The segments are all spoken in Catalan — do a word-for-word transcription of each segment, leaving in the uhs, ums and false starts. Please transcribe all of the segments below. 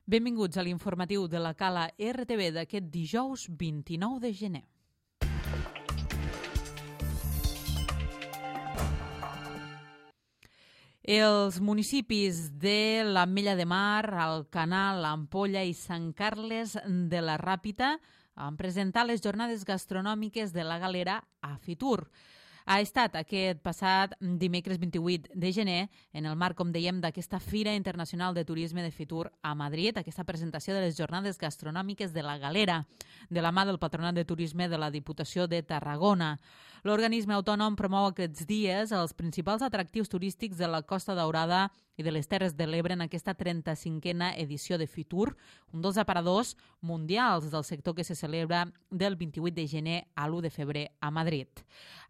Benvinguts a l'informatiu de la Cala R T V d'aquest dijous vint-i-nou de gener. Els municipis de l'Ametlla de Mar, Alcanar, l'Ampolla i Sant Carles de la Ràpita han presentat les jornades gastronòmiques de la Galera a Fitur. Ha estat aquest passat dimecres vint-i-vuit de gener en el marc, com dèiem, d'aquesta Fira Internacional de Turisme de Fitur a Madrid, aquesta presentació de les jornades gastronòmiques de la Galera, de la mà del Patronat de Turisme de la Diputació de Tarragona. L'organisme autònom promou aquests dies els principals atractius turístics de la Costa Daurada i de les Terres de l'Ebre en aquesta trenta-cinquena edició de Fitur, un dels aparadors mundials del sector que se celebra del vint-i-vuit de gener a l'u de febrer a Madrid.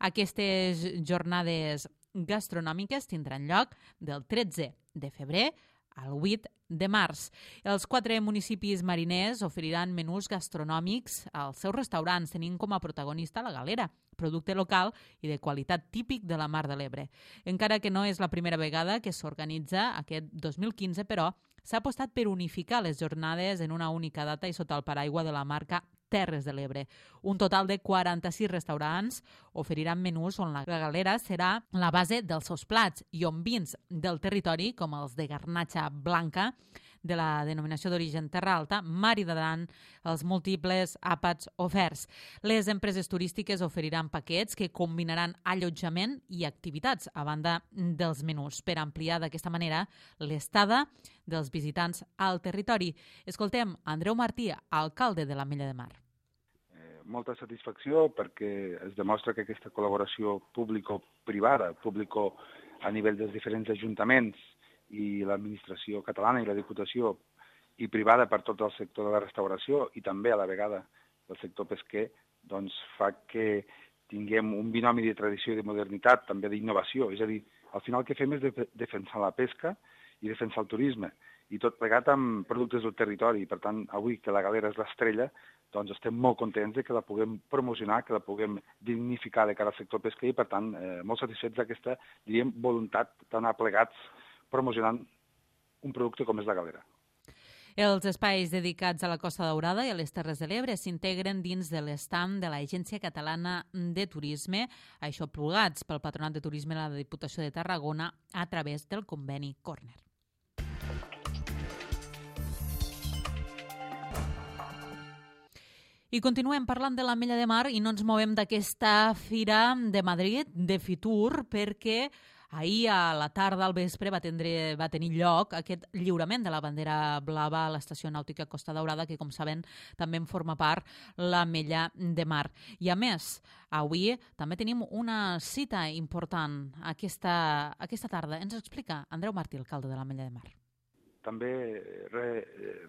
Aquestes jornades gastronòmiques tindran lloc del tretze de febrer al vuit de març. Els quatre municipis mariners oferiran menús gastronòmics als seus restaurants, tenint com a protagonista la Galera, producte local i de qualitat típic de la Mar de l'Ebre. Encara que no és la primera vegada que s'organitza aquest dos mil quinze, però s'ha apostat per unificar les jornades en una única data i sota el paraigua de la marca Terres de l'Ebre. Un total de quaranta-sis restaurants oferiran menús on la Galera serà la base dels seus plats i on vins del territori, com els de garnatxa blanca, de la denominació d'origen Terra Alta, maridaran els múltiples àpats oferts. Les empreses turístiques oferiran paquets que combinaran allotjament i activitats a banda dels menús per ampliar d'aquesta manera l'estada dels visitants al territori. Escoltem Andreu Martí, alcalde de l'Ametlla de Mar. Eh, molta satisfacció perquè es demostra que aquesta col·laboració público-privada, público a nivell dels diferents ajuntaments i l'administració catalana i la Diputació i privada per tot el sector de la restauració i també a la vegada del sector pesquer, doncs fa que tinguem un binomi de tradició i de modernitat, també d'innovació. És a dir, al final el que fem és de defensar la pesca i defensar el turisme, i tot plegat amb productes del territori. Per tant, avui que la Galera és l'estrella, doncs estem molt contents de que la puguem promocionar, que la puguem dignificar de cara al sector pesquer i, per tant, eh, molt satisfets d'aquesta, diríem, voluntat d'anar plegats promocionant un producte com és la Galera. Els espais dedicats a la Costa Daurada i a les Terres de l'Ebre s'integren dins de l'estam de l'Agència Catalana de Turisme, això plugats pel Patronat de Turisme de la Diputació de Tarragona a través del conveni Corner. I continuem parlant de l'Ametlla de Mar i no ens movem d'aquesta Fira de Madrid, de Fitur, perquè ahir a la tarda al vespre va, tindre, va tenir lloc aquest lliurament de la bandera blava a l'Estació Nàutica Costa Daurada, que, com saben, també en forma part l'Ametlla de Mar. I, a més, avui també tenim una cita important aquesta, aquesta tarda. Ens explica Andreu Martí, alcalde de l'Ametlla de Mar. També re,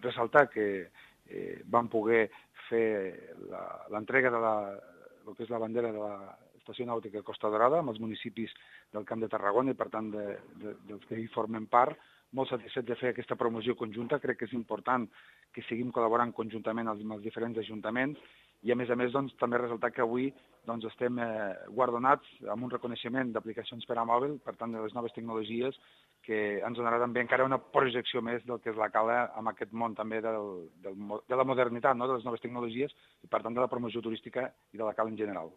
ressaltar que eh, vam poder fer l'entrega de la, el que és la bandera de l'Estació Nàutica Costa Daurada amb els municipis del Camp de Tarragona i, per tant, de, de, dels que hi formen part. Molt satisfets de fer aquesta promoció conjunta. Crec que és important que seguim col·laborant conjuntament amb els diferents ajuntaments i, a més a més, doncs, també ressaltar que avui doncs, estem eh, guardonats amb un reconeixement d'aplicacions per a mòbil, per tant, de les noves tecnologies, que ens donarà també encara una projecció més del que és la Cala amb aquest món també del, del, de la modernitat, no? De les noves tecnologies i, per tant, de la promoció turística i de la Cala en general.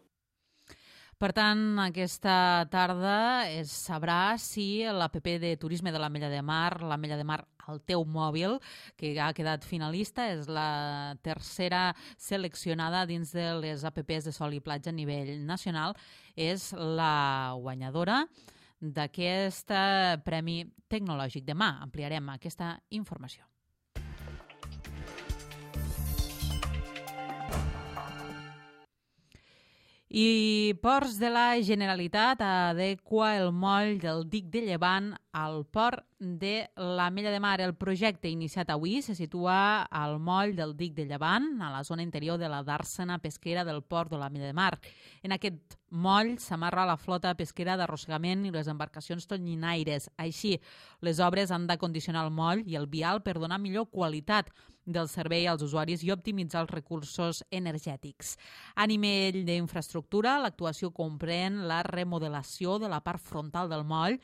Per tant, aquesta tarda es sabrà si l'app de turisme de l'Ametlla de Mar, l'Ametlla de Mar al teu mòbil, que ha quedat finalista, és la tercera seleccionada dins de les apps de sol i platja a nivell nacional, és la guanyadora d'aquest Premi Tecnològic. Demà ampliarem aquesta informació. I Ports de la Generalitat adequa el moll del dic de Llevant al port de l'Ametlla de Mar. El projecte iniciat avui se situa al moll del dic de Llevant, a la zona interior de la dàrsena pesquera del port de l'Ametlla de Mar. En aquest moll s'amarra la flota pesquera d'arrossegament i les embarcacions tonyinaires. Així, les obres han de condicionar el moll i el vial per donar millor qualitat del servei als usuaris i optimitzar els recursos energètics. A nivell d'infraestructura, l'actuació comprèn la remodelació de la part frontal del moll,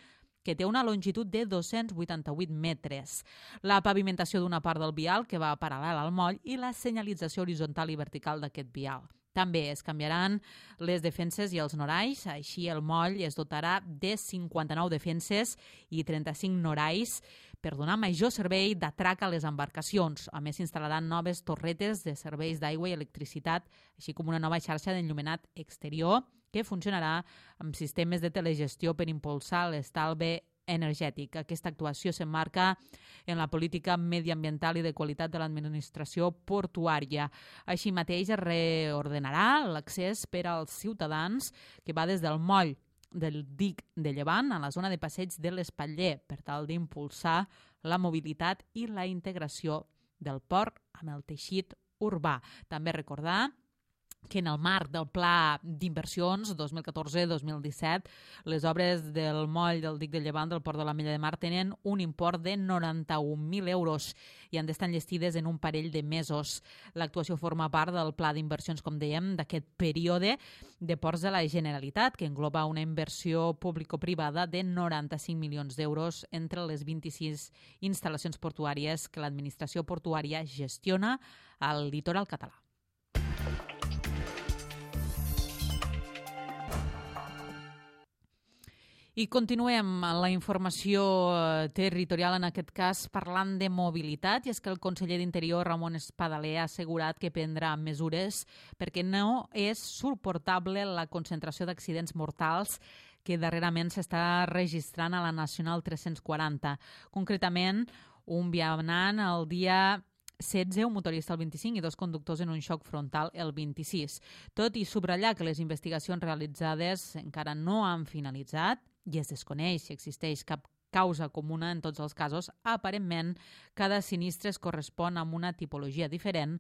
que té una longitud de dos-cents vuitanta-vuit metres, la pavimentació d'una part del vial que va paral·lel al moll i la senyalització horitzontal i vertical d'aquest vial. També es canviaran les defenses i els norais, així el moll es dotarà de cinquanta-nou defenses i trenta-cinc norais per donar major servei d'atrac a les embarcacions. A més, s'instal·laran noves torretes de serveis d'aigua i electricitat, així com una nova xarxa d'enllumenat exterior que funcionarà amb sistemes de telegestió per impulsar l'estalvi energètic. Aquesta actuació s'emmarca en la política mediambiental i de qualitat de l'administració portuària. Així mateix es reordenarà l'accés per als ciutadans que va des del moll del dic de Llevant a la zona de passeig de l'Espatller per tal d'impulsar la mobilitat i la integració del port amb el teixit urbà. També recordar que en el marc del Pla d'Inversions dos mil catorze dos mil disset les obres del moll del dic de Llevant del port de l'Ametlla de Mar tenen un import de noranta-un mil euros i han d'estar enllestides en un parell de mesos. L'actuació forma part del Pla d'Inversions, com dèiem, d'aquest període de ports de la Generalitat, que engloba una inversió público-privada de noranta-cinc milions d'euros entre les vint-i-sis instal·lacions portuàries que l'administració portuària gestiona al litoral català. I continuem la informació territorial, en aquest cas parlant de mobilitat, i és que el conseller d'Interior, Ramon Espadaler, ha assegurat que prendrà mesures perquè no és suportable la concentració d'accidents mortals que darrerament s'està registrant a la Nacional tres-cents quaranta. Concretament, un vianant el dia setze, un motorista el vint-i-cinc i dos conductors en un xoc frontal el vint-i-sis. Tot i subratllar que les investigacions realitzades encara no han finalitzat i es desconeix si existeix cap causa comuna en tots els casos, aparentment cada sinistre es correspon amb una tipologia diferent.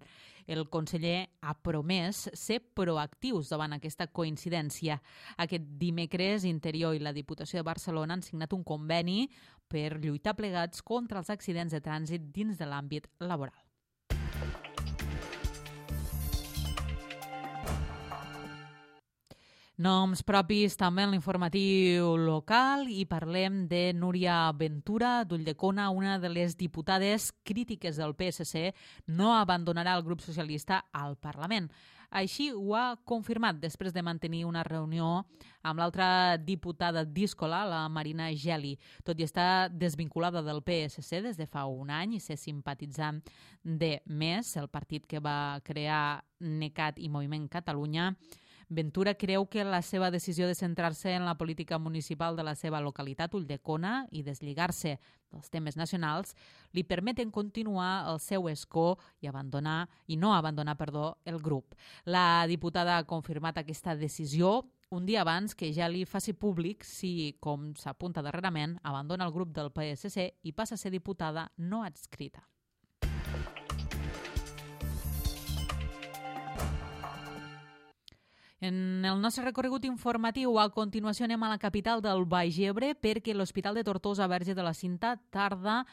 El conseller ha promès ser proactius davant aquesta coincidència. Aquest dimecres, Interior i la Diputació de Barcelona han signat un conveni per lluitar plegats contra els accidents de trànsit dins de l'àmbit laboral. Noms propis també en l'informatiu local i parlem de Núria Ventura d'Ulldecona, una de les diputades crítiques del P S C, no abandonarà el grup socialista al Parlament. Així ho ha confirmat després de mantenir una reunió amb l'altra diputada díscola, la Marina Geli. Tot i estar desvinculada del P S C des de fa un any i ser simpatitzant de Més, el partit que va crear NECAT i Moviment Catalunya, Ventura creu que la seva decisió de centrar-se en la política municipal de la seva localitat, Ulldecona, i deslligar-se dels temes nacionals, li permeten continuar el seu escó i abandonar i no abandonar, perdó, el grup. La diputada ha confirmat aquesta decisió un dia abans que ja li faci públic si, com s'apunta darrerament, abandona el grup del P S C i passa a ser diputada no adscrita. En el nostre recorregut informatiu, a continuació anem a la capital del Baix Ebre perquè l'Hospital de Tortosa Verge de la Cinta tarda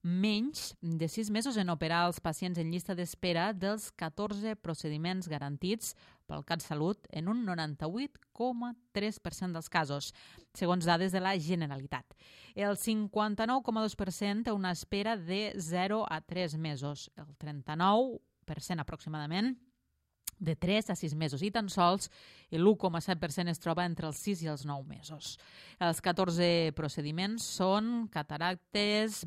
menys de sis mesos en operar els pacients en llista d'espera dels catorze procediments garantits pel CatSalut en un noranta-vuit coma tres per cent dels casos, segons dades de la Generalitat. El cinquanta-nou coma dos per cent té una espera de zero a tres mesos, el trenta-nou per cent aproximadament de tres a sis mesos i tan sols l'u coma set per cent es troba entre els sis i els nou mesos. Els catorze procediments són cataractes,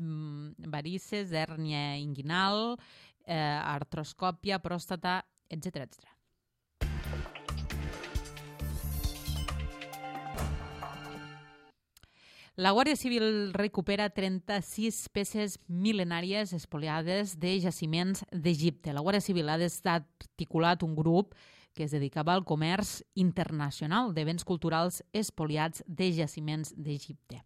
varices, hèrnia inguinal, eh, artroscòpia, pròstata, etcètera, etcètera. La Guàrdia Civil recupera trenta-sis peces mil·lenàries espoliades de jaciments d'Egipte. La Guàrdia Civil ha articulat un grup que es dedicava al comerç internacional de béns culturals espoliats de jaciments d'Egipte.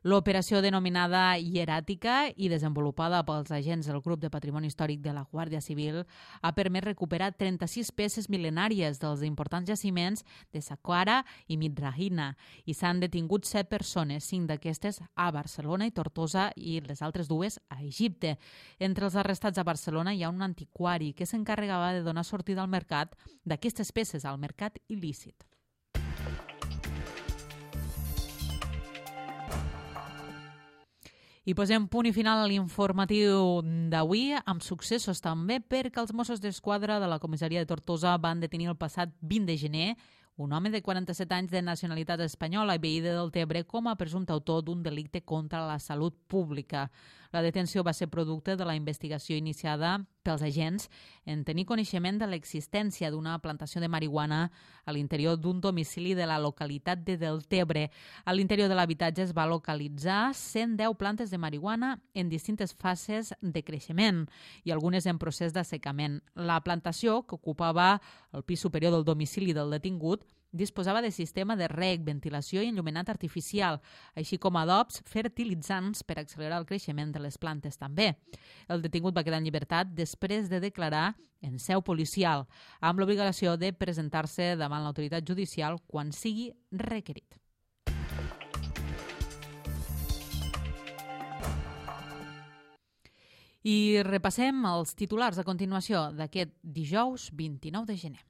L'operació denominada Hieràtica i desenvolupada pels agents del Grup de Patrimoni Històric de la Guàrdia Civil ha permès recuperar trenta-sis peces mil·lenàries dels importants jaciments de Saqqara i Midrahina i s'han detingut set persones, cinc d'aquestes a Barcelona i Tortosa i les altres dues a Egipte. Entre els arrestats a Barcelona hi ha un antiquari que s'encarregava de donar sortida al mercat d'aquestes peces, al mercat il·lícit. I posem punt i final a l'informatiu d'avui, amb successos també, perquè els Mossos d'Esquadra de la comissaria de Tortosa van detenir el passat vint de gener un home de quaranta-set anys de nacionalitat espanyola i veí de Deltebre com a presumpte autor d'un delicte contra la salut pública. La detenció va ser producte de la investigació iniciada pels agents en tenir coneixement de l'existència d'una plantació de marihuana a l'interior d'un domicili de la localitat de Deltebre. A l'interior de l'habitatge es va localitzar cent deu plantes de marihuana en distintes fases de creixement i algunes en procés d'assecament. La plantació, que ocupava el pis superior del domicili del detingut, disposava de sistema de reg, ventilació i enllumenat artificial, així com adobs fertilitzants per accelerar el creixement de les plantes també. El detingut va quedar en llibertat després de declarar en seu policial, amb l'obligació de presentar-se davant l'autoritat judicial quan sigui requerit. I repassem els titulars a continuació d'aquest dijous vint-i-nou de gener.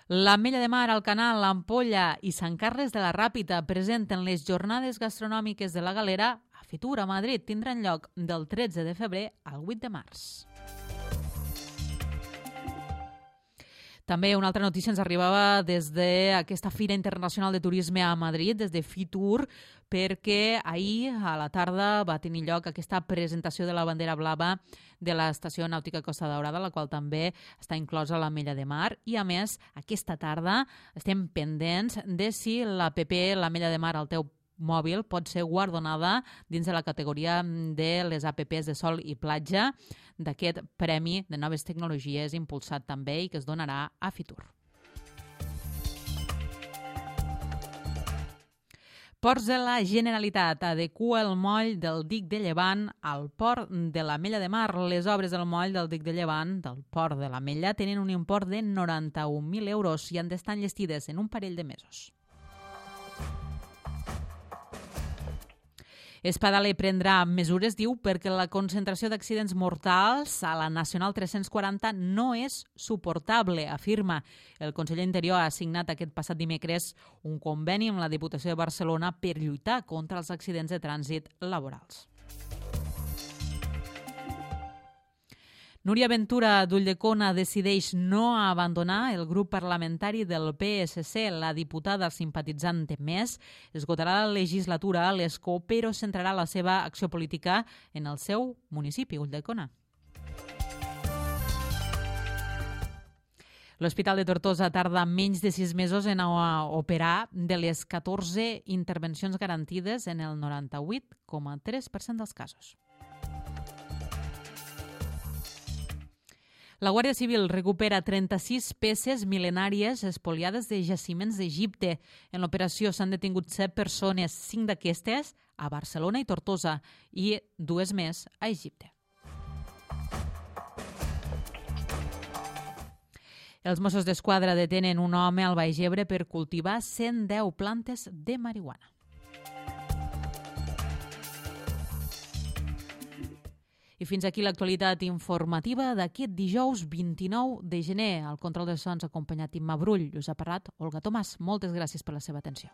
L'Ametlla de Mar, el Canal, l'Ampolla i Sant Carles de la Ràpita presenten les jornades gastronòmiques de la Galera a Fitur, a Madrid. Tindran lloc del tretze de febrer al vuit de març. També una altra notícia ens arribava des d'aquesta Fira Internacional de Turisme a Madrid, des de Fitur, perquè ahir a la tarda va tenir lloc aquesta presentació de la bandera blava de l'Estació Nàutica Costa Daurada, la qual també està inclosa a l'Ametlla de Mar. I, a més, aquesta tarda estem pendents de si l'app l'Ametlla de Mar al teu mòbil pot ser guardonada dins de la categoria de les apps de sol i platja d'aquest Premi de Noves Tecnologies impulsat també i que es donarà a Fitur. Ports de la Generalitat adequa el moll del dic de Llevant al port de l'Ametlla de Mar. Les obres del moll del dic de Llevant del port de l'Ametlla tenen un import de noranta-un mil euros i han d'estar enllestides en un parell de mesos. Espadaler prendrà mesures, diu, perquè la concentració d'accidents mortals a la Nacional tres-cents quaranta no és suportable, afirma. El conseller Interior ha signat aquest passat dimecres un conveni amb la Diputació de Barcelona per lluitar contra els accidents de trànsit laborals. Núria Ventura d'Ulldecona decideix no abandonar el grup parlamentari del P S C. La diputada simpatitzant de Més esgotarà la legislatura a l'Escó, però centrarà la seva acció política en el seu municipi, Ulldecona. L'Hospital de Tortosa tarda menys de sis mesos en operar de les catorze intervencions garantides en el noranta-vuit coma tres per cent dels casos. La Guàrdia Civil recupera trenta-sis peces mil·lenàries espoliades de jaciments d'Egipte. En l'operació s'han detingut set persones, cinc d'aquestes a Barcelona i Tortosa i dues més a Egipte. Els Mossos d'Esquadra detenen un home al Baix Ebre per cultivar cent deu plantes de marihuana. I fins aquí l'actualitat informativa d'aquest dijous vint-i-nou de gener. Al control de sons acompanyat Imma Brull. Us ha parlat Olga Tomàs. Moltes gràcies per la seva atenció.